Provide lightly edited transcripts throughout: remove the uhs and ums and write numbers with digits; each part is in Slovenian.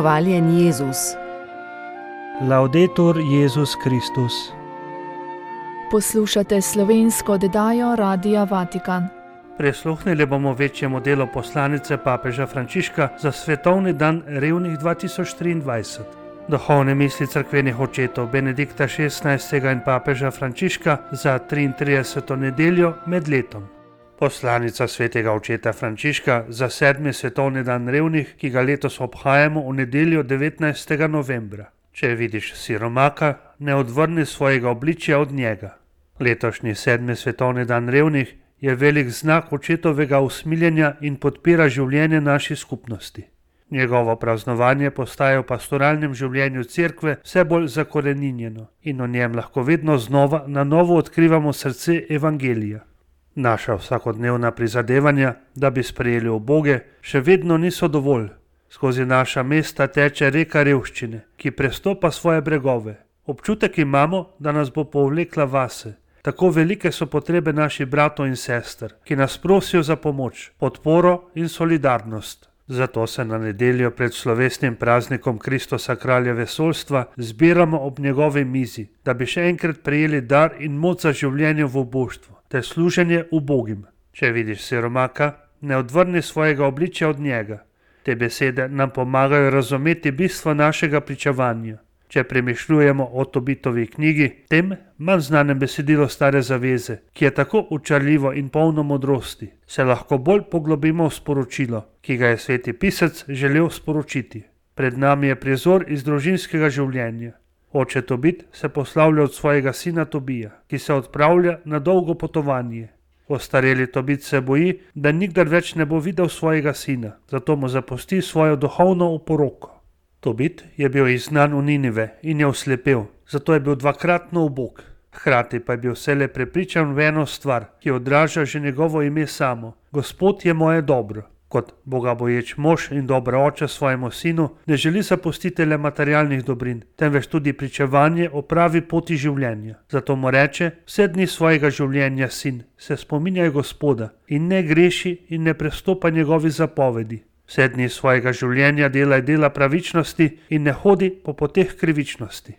Hvaljen Jezus. Laudetur Jezus Kristus. Poslušate slovensko oddajo Radia Vatikan. Prisluhnili bomo večjemu delu poslanice papeža Frančiška za svetovni dan revnih 2023. Duhovne misli cerkvenih očetov Benedikta XVI. In papeža Frančiška za 33. nedeljo med letom. Poslanica svetega očeta Frančiška za 7. svetovni dan revnih, ki ga letos obhajamo v nedeljo 19. novembra. Če vidiš siromaka, ne odvrni svojega obličja od njega. Letošnji 7. svetovni dan revnih je velik znak očetovega usmiljenja in podpira življenje naši skupnosti. Njegovo praznovanje postaja v pastoralnem življenju cerkve vse bolj zakoreninjeno in v njem lahko vedno znova na novo odkrivamo srce evangelija. Naša vsakodnevna prizadevanja, da bi sprejeli uboge, še vedno niso dovolj. Skozi naša mesta teče reka revščine, ki prestopa svoje bregove. Občutek imamo, da nas bo povlekla vase. Tako velike so potrebe naših bratov in sester, ki nas prosijo za pomoč, podporo in solidarnost. Zato se na nedeljo pred slovesnim praznikom Kristusa kralja vesoljstva zbiramo ob njegovi mizi, da bi še enkrat prejeli dar in moč za življenje v obuštvu, ter služenje ubogim. Če vidiš siromaka, ne odvrni svojega obličja od njega. Te besede nam pomagajo razumeti bistvo našega pričevanja. Če premišljujemo o Tobitovi knjigi, tem manj znanem besedilu Stare zaveze, ki je tako učarljivo in polno modrosti, se lahko bolj poglobimo v sporočilo, ki ga je sveti pisec želel sporočiti. Pred nami je prizor iz družinskega življenja. Oče Tobit se poslavlja od svojega sina Tobija, ki se odpravlja na dolgo potovanje. Ostareli Tobit se boji, da nikdar več ne bo videl svojega sina, zato mu zapusti svojo duhovno oporoko. Tobit je bil izgnan v Ninive in je oslepel, zato je bil dvakratno ubog. Hkrati pa je bil vselej prepričan v eno stvar, ki odraža že njegovo ime samo. Gospod je moje dobro. Kot bogaboječ mož in dober oče svojemu sinu ne želi zapustiti le materialnih dobrin, temveč tudi pričevanje o pravi poti življenja. Zato mu reče: vse dni svojega življenja, sin, se spominjaj Gospoda in ne greši in ne prestopa njegovi zapovedi. Vse dni svojega življenja delaj dela pravičnosti in ne hodi po poteh krivičnosti.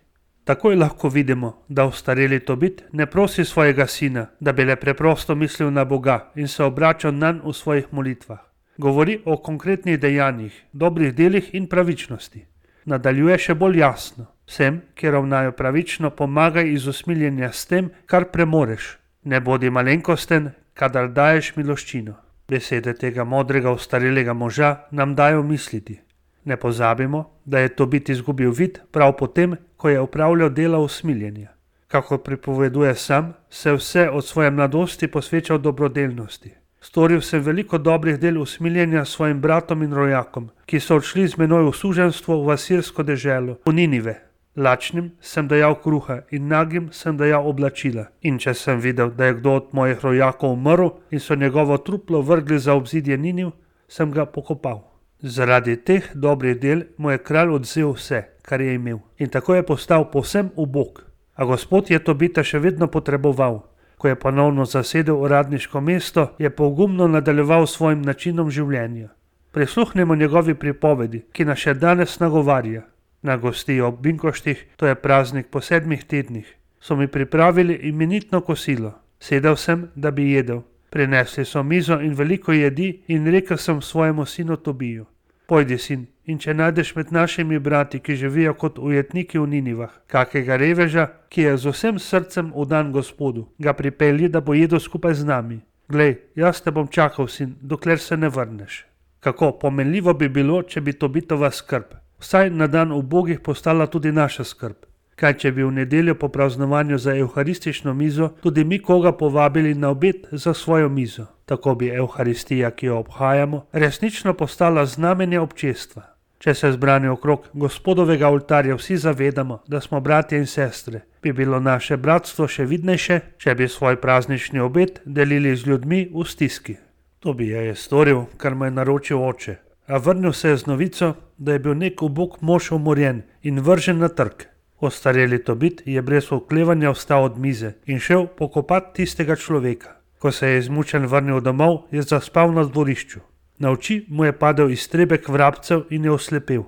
Takoj lahko vidimo, da ostareli Tobit ne prosi svojega sina, da bi le preprosto mislil na Boga in se obračal nanj v svojih molitvah. Govori o konkretnih dejanjih, dobrih delih in pravičnosti. Nadaljuje še bolj jasno: vsem, ki ravnajo pravično, pomagaj iz usmiljenja s tem, kar premoreš. Ne bodi malenkosten, kadar daješ miloščino. Besede tega modrega ostarelega moža nam dajo misliti. Ne pozabimo, da je Tobit izgubil vid prav potem, ko je opravljal dela usmiljenja. Kako pripoveduje sam, se vse od svoje mladosti posvečal dobrodelnosti. Storil sem veliko dobrih del usmiljenja svojim bratom in rojakom, ki so odšli z menoj v suženjstvo v asirsko deželo, v Ninive. Lačnim sem dajal kruha in nagim sem dajal oblačila. In če sem videl, da je kdo od mojih rojakov umrl in so njegovo truplo vrgli za obzidje Niniv, sem ga pokopal. Zaradi teh dobrih del mu je kralj odvzel vse, kar je imel, in tako je postal povsem ubog. A Gospod je Tobita še vedno potreboval. Ko je ponovno zasedel uradniško mesto, je pogumno nadaljeval svojim načinom življenja. Prisluhnemo njegovi pripovedi, ki nas še danes nagovarja. Na gostiji ob Binkoštih, to je praznik po 7 tednih, so mi pripravili imenitno kosilo. Sedel sem, da bi jedel. Prinesli so mizo in veliko jedi in rekel sem svojemu sinu Tobiju: pojdi, sin, in če najdeš med našimi brati, ki živijo kot ujetniki v Ninivah, kakega reveža, ki je z vsem srcem vdan Gospodu, ga pripelji, da bo jedel skupaj z nami. Glej, jaz te bom čakal, sin, dokler se ne vrneš. Kako pomenljivo bi bilo, če bi Tobitova skrb vsaj na dan ubogih postala tudi naša skrb. Kaj če bi v nedeljo po praznovanju za evharistično mizo tudi mi koga povabili na obed za svojo mizo. Tako bi evharistija, ki jo obhajamo, resnično postala znamenje občestva. Če se zbrani okrog Gospodovega oltarja vsi zavedamo, da smo bratje in sestre, bi bilo naše bratstvo še vidnejše, če bi svoj praznični obed delili z ljudmi v stiski. Tobija je storil, kar mu je naročil oče, a vrnil se je z novico, da je bil nek ubog mož umorjen in vržen na trg. Ostareli Tobit je brez oklevanja vstal od mize in šel pokopat tistega človeka. Ko se je izmučen vrnil domov, je zaspal na dvorišču. Na oči mu je padel iztrebek vrabcev in je oslepel.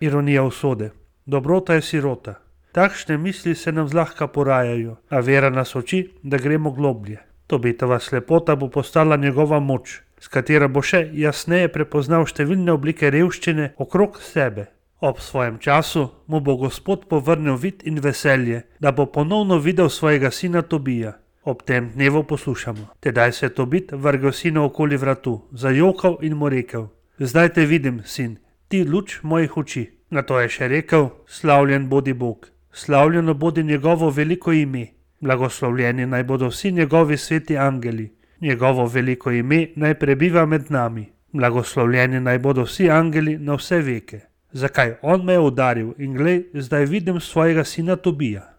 Ironija usode. Dobrota je sirota. Takšne misli se nam zlahka porajajo, a vera nas uči, da gremo globlje. Tobitova slepota bo postala njegova moč, s katero bo še jasneje prepoznal številne oblike revščine okrog sebe. Ob svojem času mu bo Gospod povrnil vid in veselje, da bo ponovno videl svojega sina Tobija. Ob tem dnevu poslušamo. Tedaj se je Tobit vrgel sinu okoli vratu, zajokal in mu rekel: zdaj te vidim, sin, ti luč mojih oči. Nato je še rekel: slavljen bodi Bog, slavljeno bodi njegovo veliko ime, blagoslovljeni naj bodo vsi njegovi sveti angeli, njegovo veliko ime naj prebiva med nami, blagoslovljeni naj bodo vsi angeli na vse veke. Zakaj on me je udaril in glej, zdaj vidim svojega sina Tobija.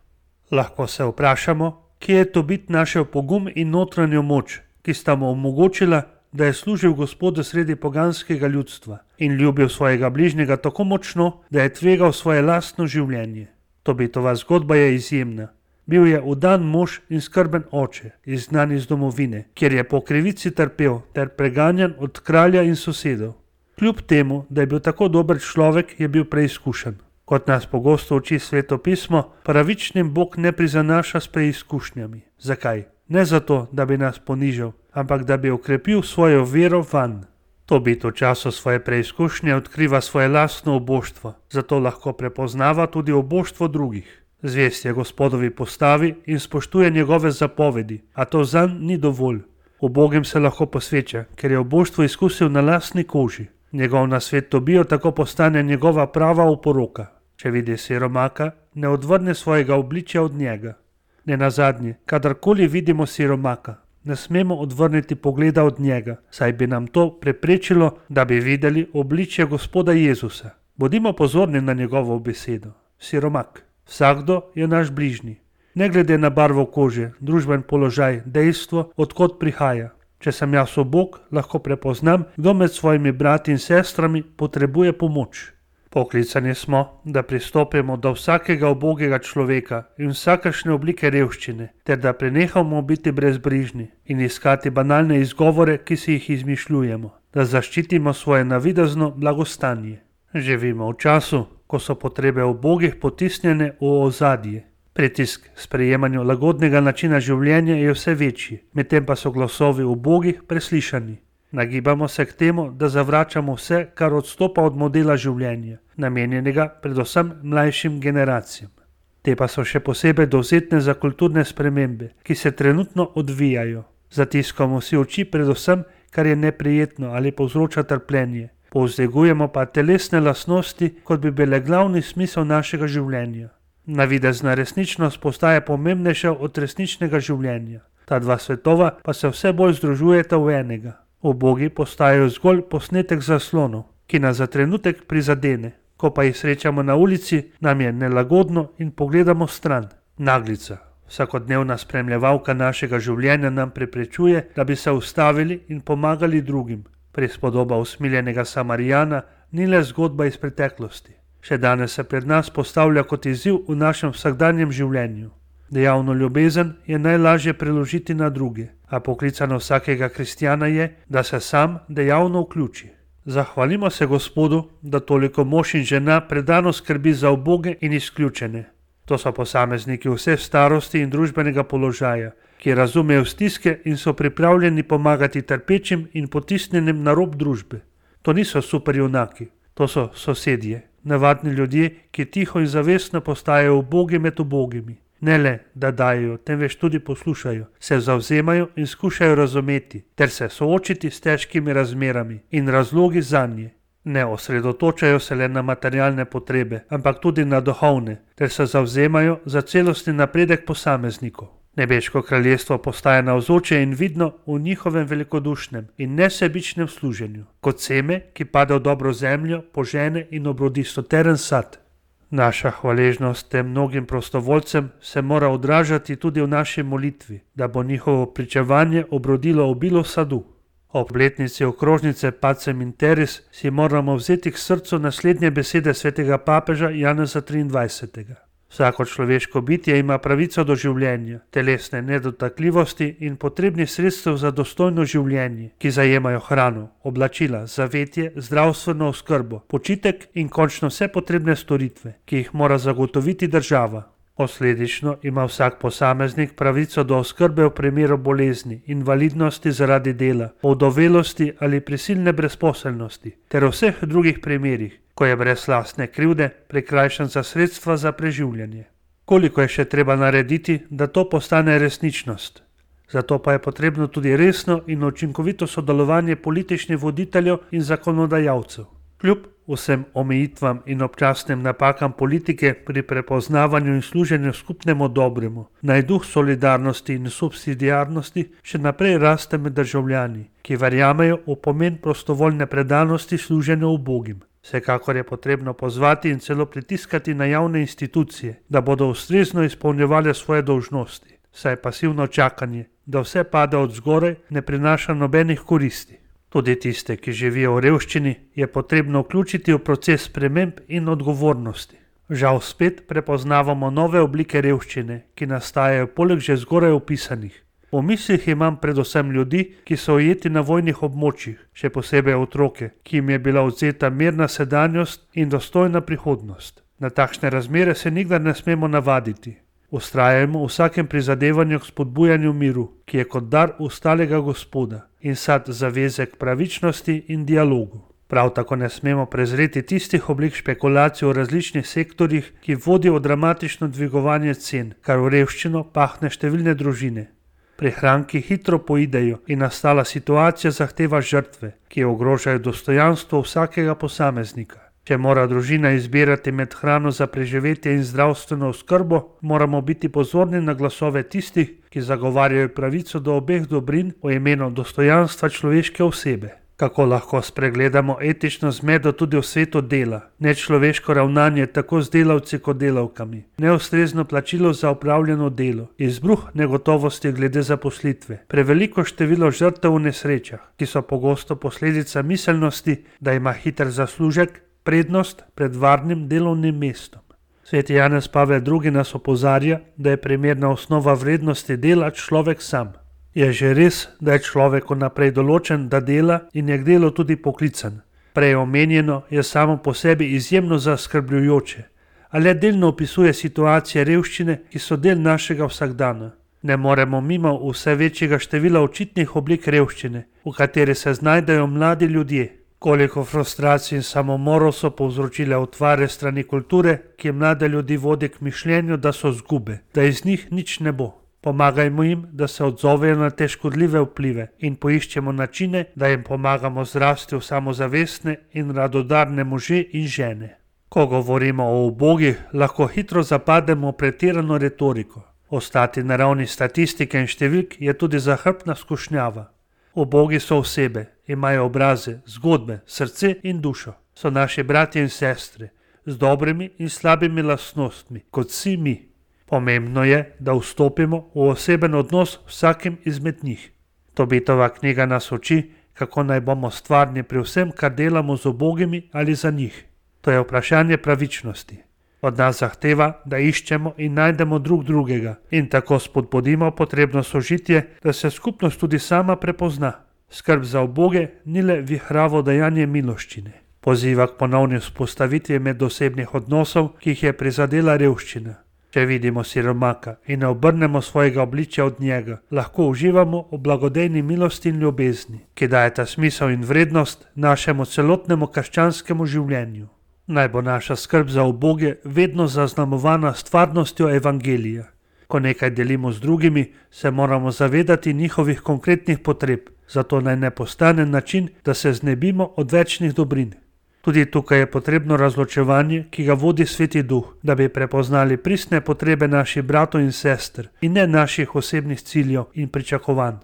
Lahko se vprašamo, kje je Tobit našel pogum in notranjo moč, ki sta mu omogočila, da je služil Gospodu sredi poganskega ljudstva in ljubil svojega bližnjega tako močno, da je tvegal svoje lastno življenje. Tobitova zgodba je izjemna. Bil je vdan mož in skrben oče, izgnan iz domovine, kjer je po krivici trpel ter preganjan od kralja in sosedov. Kljub temu, da je bil tako dober človek, je bil preizkušen. Kot nas pogosto uči Sveto pismo, pravičnim Bog ne prizanaša s preizkušnjami. Zakaj? Ne zato, da bi nas ponižal, ampak da bi okrepil svojo vero vanj. Tobit v času svoje preizkušnje odkriva svoje lastno oboštvo, zato lahko prepoznava tudi oboštvo drugih. Zvest je Gospodovi postavi in spoštuje njegove zapovedi, a to zanj ni dovolj. Ubogim se lahko posveča, ker je oboštvo izkusil na lastni koži. Njegov nasvet Tobijo tako postane njegova prava oporoka. Če vidi siromaka, ne odvrne svojega obličja od njega. Nenazadnje, kadarkoli vidimo siromaka, ne smemo odvrniti pogleda od njega, saj bi nam to preprečilo, da bi videli obličje Gospoda Jezusa. Bodimo pozorni na njegovo besedo. Siromak. Vsakdo je naš bližnji. Ne glede na barvo kože, družben položaj, dejstvo, odkot prihaja. Če sem jaz ubog, lahko prepoznam, kdo med svojimi brati in sestrami potrebuje pomoč. Poklicani smo, da pristopimo do vsakega ubogega človeka in vsakašne oblike revščine, ter da prenehamo biti brezbrižni in iskati banalne izgovore, ki si jih izmišljujemo, da zaščitimo svoje navidezno blagostanje. Živimo v času, ko so potrebe ubogih potisnjene v ozadje. Pritisk k sprejemanju lagodnega načina življenja je vse večji, medtem pa so glasovi ubogih preslišani. Nagibamo se k temu, da zavračamo vse, kar odstopa od modela življenja, namenjenega predvsem mlajšim generacijam. Te pa so še posebej dovzetne za kulturne spremembe, ki se trenutno odvijajo. Zatiskamo si oči predvsem, kar je neprijetno ali povzroča trpljenje. Povzdegujemo pa telesne lastnosti, kot bi bile glavni smisel našega življenja. Navidezna resničnost postaja pomembnejša od resničnega življenja. Ta dva svetova pa se vse bolj združujeta v enega. Ubogi postajajo zgolj posnetek zaslonov, ki nas za trenutek prizadene. Ko pa jih srečamo na ulici, nam je nelagodno in pogledamo stran. Naglica, vsakodnevna spremljevalka našega življenja, nam preprečuje, da bi se ustavili in pomagali drugim. Prispodoba usmiljenega Samarijana ni le zgodba iz preteklosti. Še danes se pred nas postavlja kot izziv v našem vsakdanjem življenju. Dejavno ljubezen je najlažje preložiti na druge, a poklicano vsakega kristjana je, da se sam dejavno vključi. Zahvalimo se Gospodu, da toliko mož in žena predano skrbi za uboge in izključene. To so posamezniki vse starosti in družbenega položaja, ki razumejo stiske in so pripravljeni pomagati trpečim in potisnjenim na rob družbe. To niso superjunaki, to so sosedje, navadni ljudje, ki tiho in zavestno postajajo ubogi med ubogimi. Ne le, da dajo, temveč tudi poslušajo, se zavzemajo in skušajo razumeti, ter se soočiti s težkimi razmerami in razlogi zanje. Ne osredotočajo se le na materialne potrebe, ampak tudi na duhovne, ter se zavzemajo za celostni napredek posameznikov. Nebeško kraljestvo postaja navzoče in vidno v njihovem velikodušnem in nesebičnem služenju, kot seme, ki pade v dobro zemljo, požene in obrodi stoteren sad. Naša hvaležnost tem mnogim prostovoljcem se mora odražati tudi v naši molitvi, da bo njihovo pričevanje obrodilo obilo sadu. Ob obletnici okrožnice Pacem in Terris si moramo vzeti k srcu naslednje besede svetega papeža Janeza 23. Vsako človeško bitje ima pravico do življenja, telesne nedotakljivosti in potrebnih sredstev za dostojno življenje, ki zajemajo hrano, oblačila, zavetje, zdravstveno oskrbo, počitek in končno vse potrebne storitve, ki jih mora zagotoviti država. Posledično ima vsak posameznik pravico do oskrbe v primeru bolezni, invalidnosti zaradi dela, ovdovelosti ali prisilne brezposelnosti, ter v vseh drugih primerih, ko je brez lastne krivde prikrajšan za sredstva za preživljanje. Koliko je še treba narediti, da to postane resničnost? Zato pa je potrebno tudi resno in učinkovito sodelovanje političnih voditeljev in zakonodajalcev. Kljub vsem omejitvam in občasnim napakam politike pri prepoznavanju in služenju skupnemu dobremu, naj duh solidarnosti in subsidiarnosti še naprej raste med državljani, ki verjamejo v pomen prostovoljne predanosti služenju ubogim. Vsekakor je potrebno pozvati in celo pritiskati na javne institucije, da bodo ustrezno izpolnjevale svoje dolžnosti, saj pasivno čakanje, da vse pade od zgoraj, ne prinaša nobenih koristi. Tudi tiste, ki živijo v revščini, je potrebno vključiti v proces sprememb in odgovornosti. Žal spet prepoznavamo nove oblike revščine, ki nastajajo poleg že zgoraj opisanih. V mislih imam predvsem ljudi, ki so ujeti na vojnih območjih, še posebej otroke, ki jim je bila odvzeta mirna sedanjost in dostojna prihodnost. Na takšne razmere se nikdar ne smemo navaditi. Vztrajajmo v vsakem prizadevanju k spodbujanju miru, ki je kot dar ustalega Gospoda in sad zaveze k pravičnosti in dialogu. Prav tako ne smemo prezreti tistih oblik špekulacij v različnih sektorjih, ki vodijo v dramatično dvigovanje cen, kar v revščino pahne številne družine. Prihranki hitro poidejo in nastala situacija zahteva žrtve, ki ogrožajo dostojanstvo vsakega posameznika. Če mora družina izbirati med hrano za preživetje in zdravstveno oskrbo, moramo biti pozorni na glasove tistih, ki zagovarjajo pravico do obeh dobrin v imenu dostojanstva človeške osebe. Kako lahko spregledamo etično zmedo tudi v svetu dela, nečloveško ravnanje tako z delavci kot delavkami, neustrezno plačilo za opravljeno delo, izbruh negotovosti glede zaposlitve, preveliko število žrtev v nesrečah, ki so pogosto posledica miselnosti, da ima hiter zaslužek prednost pred varnim delovnim mestom. Sveti Janez Pavel II nas opozarja, da je primerna osnova vrednosti dela človek sam. Je že res, da je človek vnaprej določen, da dela in je k delu tudi poklican. Prej omenjeno je samo po sebi izjemno zaskrbljujoče, a le delno opisuje situacije revščine, ki so del našega vsakdana. Ne moremo mimo vse večjega števila očitnih oblik revščine, v kateri se znajdejo mladi ljudje. Koliko frustracij in samomorov so povzročile utvare strani kulture, ki mlade ljudi vodi k mišljenju, da so zgube, da iz njih nič ne bo. Pomagajmo jim, da se odzovejo na te škodljive vplive in poiščemo načine, da jim pomagamo zrasti v samozavestne in radodarne može in žene. Ko govorimo o ubogih, lahko hitro zapademo v pretirano retoriko. Ostati na ravni statistike in številk je tudi zahrbtna skušnjava. Ubogi so osebe, imajo obraze, zgodbe, srce in dušo. So naši bratje in sestre, z dobrimi in slabimi lastnostmi, kot vsi mi. Pomembno je, da vstopimo v oseben odnos vsakim izmed njih. Tobitova knjiga nas uči, kako naj bomo stvarni pri vsem, kar delamo z ubogimi ali za njih. To je vprašanje pravičnosti. Od nas zahteva, da iščemo in najdemo drug drugega in tako spodbudimo potrebno sožitje, da se skupnost tudi sama prepozna. Skrb za uboge ni le vihravo dajanje miloščine. Poziva k ponovni vzpostavitvi medosebnih odnosov, ki jih je prizadela revščina. Če vidimo siromaka in ne obrnemo svojega obličja od njega, lahko uživamo v blagodejni milosti in ljubezni, ki dajeta smisel in vrednost našemu celotnemu krščanskemu življenju. Naj bo naša skrb za uboge vedno zaznamovana stvarnostjo evangelija. Ko nekaj delimo z drugimi, se moramo zavedati njihovih konkretnih potreb, zato naj ne postane način, da se znebimo odvečnih dobrin. Tudi tukaj je potrebno razločevanje, ki ga vodi Sveti Duh, da bi prepoznali pristne potrebe naših bratov in sester in ne naših osebnih ciljev in pričakovanj.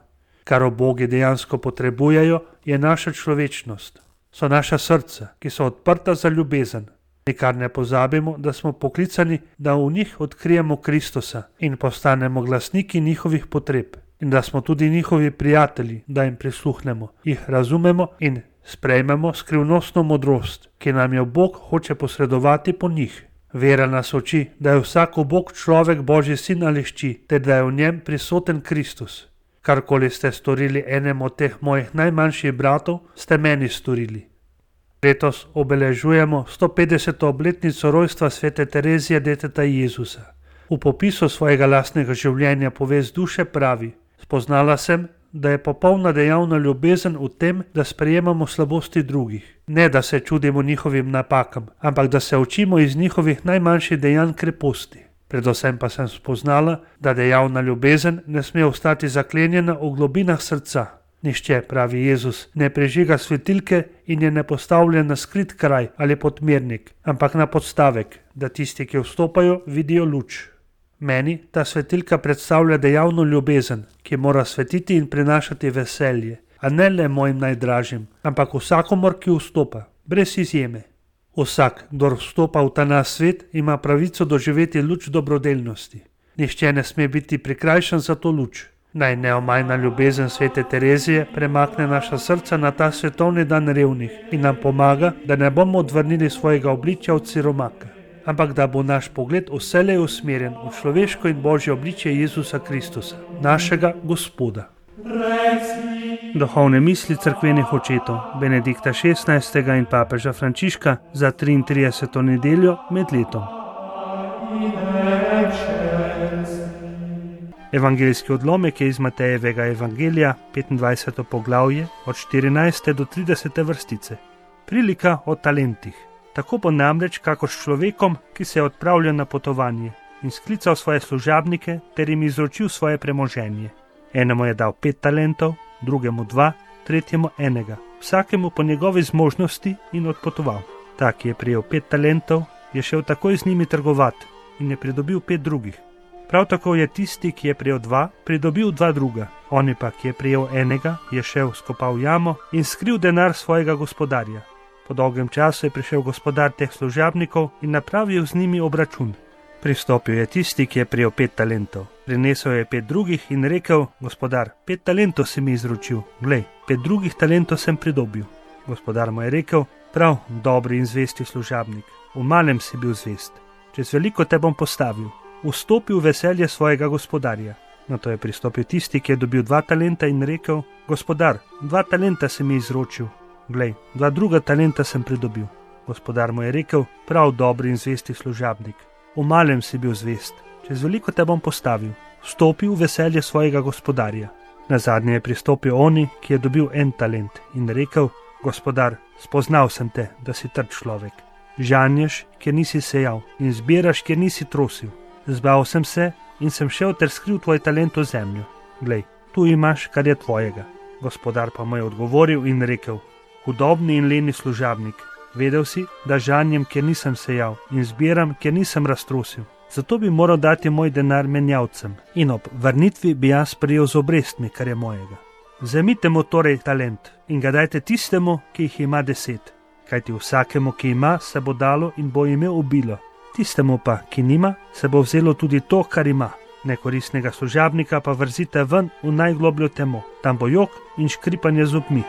Kar ubogi dejansko potrebujejo, je naša človečnost. So naša srca, ki so odprta za ljubezen. Nikar ne pozabimo, da smo poklicani, da v njih odkrijemo Kristusa in postanemo glasniki njihovih potreb in da smo tudi njihovi prijatelji, da jim prisluhnemo, jih razumemo in sprejmemo skrivnostno modrost, ki nam jo Bog hoče posredovati po njih. Vera nas uči, da je vsak ubog človek Božji sin ali hči, ter da je v njem prisoten Kristus. Karkoli ste storili enemu od teh mojih najmanjših bratov, ste meni storili. Letos obeležujemo 150. obletnico rojstva svete Terezije deteta Jezusa. V popisu svojega lastnega življenja povest duše pravi: spoznala sem, da je popolna dejavna ljubezen v tem, da sprejemamo slabosti drugih. Ne, da se čudimo njihovim napakam, ampak da se učimo iz njihovih najmanjših dejanj kreposti. Predvsem pa sem spoznala, da dejavna ljubezen ne sme ostati zaklenjena v globinah srca. Nihče, pravi Jezus, ne prežiga svetilke in je ne postavlja na skrit kraj ali podmernik, ampak na podstavek, da tisti, ki vstopajo, vidijo luč. Meni ta svetilka predstavlja dejavno ljubezen, ki mora svetiti in prinašati veselje, a ne le mojim najdražjim, ampak vsakomor, ki vstopa, brez izjeme. Vsak, kdor vstopa v ta naš svet, ima pravico doživeti luč dobrodelnosti. Nihče ne sme biti prikrajšan za to luč. Naj neomajna ljubezen svete Terezije premakne naša srca na ta svetovni dan revnih in nam pomaga, da ne bomo odvrnili svojega obličja od siromaka, ampak da bo naš pogled vselej usmerjen v človeško in božje obličje Jezusa Kristusa, našega Gospoda. Duhovne misli cerkvenih očetov Benedikta XVI. In papeža Frančiška za 33. nedeljo med letom. Evangeljski odlomek je iz Matejevega evangelija, 25. poglavje, od 14. do 30. vrstice. Prilika o talentih. Tako bo namreč kakor s človekom, ki se je odpravljal na potovanje in sklical svoje služabnike ter jim izročil svoje premoženje. Enemu je dal 5 talentov, drugemu 2, tretjemu 1, vsakemu po njegovi zmožnosti in odpotoval. Ta, ki je prijel 5 talentov, je šel takoj z njimi trgovati in je pridobil 5 drugih. Prav tako je tisti, ki je prijel 2, pridobil 2 druga. Oni pa, ki je prijel 1, je šel, skopal jamo in skril denar svojega gospodarja. Po dolgem času je prišel gospodar teh služabnikov in napravil z njimi obračun. Pristopil je tisti, ki je prijel 5 talentov. Prinesel je 5 drugih in rekel: gospodar, 5 talentov si mi izročil, glej, 5 drugih talentov sem pridobil. Gospodar mu je rekel: prav, dobri in zvesti služabnik, v malem si bil zvest, čez veliko te bom postavil, vstopi v veselje svojega gospodarja. Nato je pristopil tisti, ki je dobil 2 talenta in rekel: gospodar, 2 talenta si mi izročil, glej, 2 druga talenta sem pridobil. Gospodar mu je rekel: prav, dobri in zvesti služabnik, v malem si bil zvest, čez veliko te bom postavil, vstopi v veselje svojega gospodarja. Nazadnje je pristopil oni, ki je dobil 1 talent in rekel: gospodar, spoznal sem te, da si trd človek. Žanješ, kjer nisi sejal, in zbiraš, kjer nisi trosil. Zbal sem se in sem šel ter skril tvoj talent v zemljo. Glej, tu imaš, kar je tvojega. Gospodar pa mu je odgovoril in rekel: hudobni in leni služabnik, vedel si, da žanjem, kjer nisem sejal, in zbiram, kjer nisem raztrosil. Zato bi moral dati moj denar menjavcem in ob vrnitvi bi jaz prijel z obrestmi, kar je mojega. Vzemite mu torej talent in ga dajte tistemu, ki jih ima 10, kajti vsakemu, ki ima, se bo dalo in bo imel obilo. Tistemu pa, ki nima, se bo vzelo tudi to, kar ima. Nekoristnega služabnika pa vrzite ven v najglobljo temo, tam bo jok in škripanje zobmi.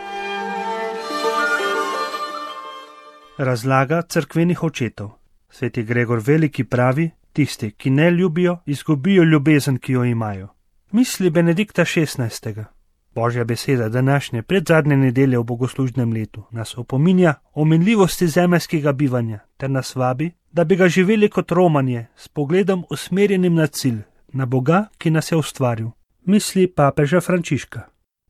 Razlaga cerkvenih očetov. Sveti Gregor Veliki pravi: tisti, ki ne ljubijo, izgubijo ljubezen, ki jo imajo. Misli Benedikta XVI. Božja beseda današnje predzadnje nedelje v bogoslužnem letu nas opominja o minljivosti zemeljskega bivanja ter nas vabi, da bi ga živeli kot romanje, s pogledom usmerjenim na cilj, na Boga, ki nas je ustvaril. Misli papeža Frančiška.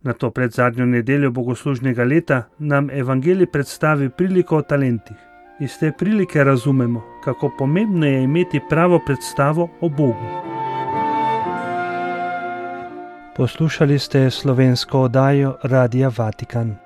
Na to predzadnjo nedeljo bogoslužnega leta nam evangelij predstavi priliko o talentih. Iz te prilike razumemo, kako pomembno je imeti pravo predstavo o Bogu. Poslušali ste slovensko oddajo Radia Vatikan.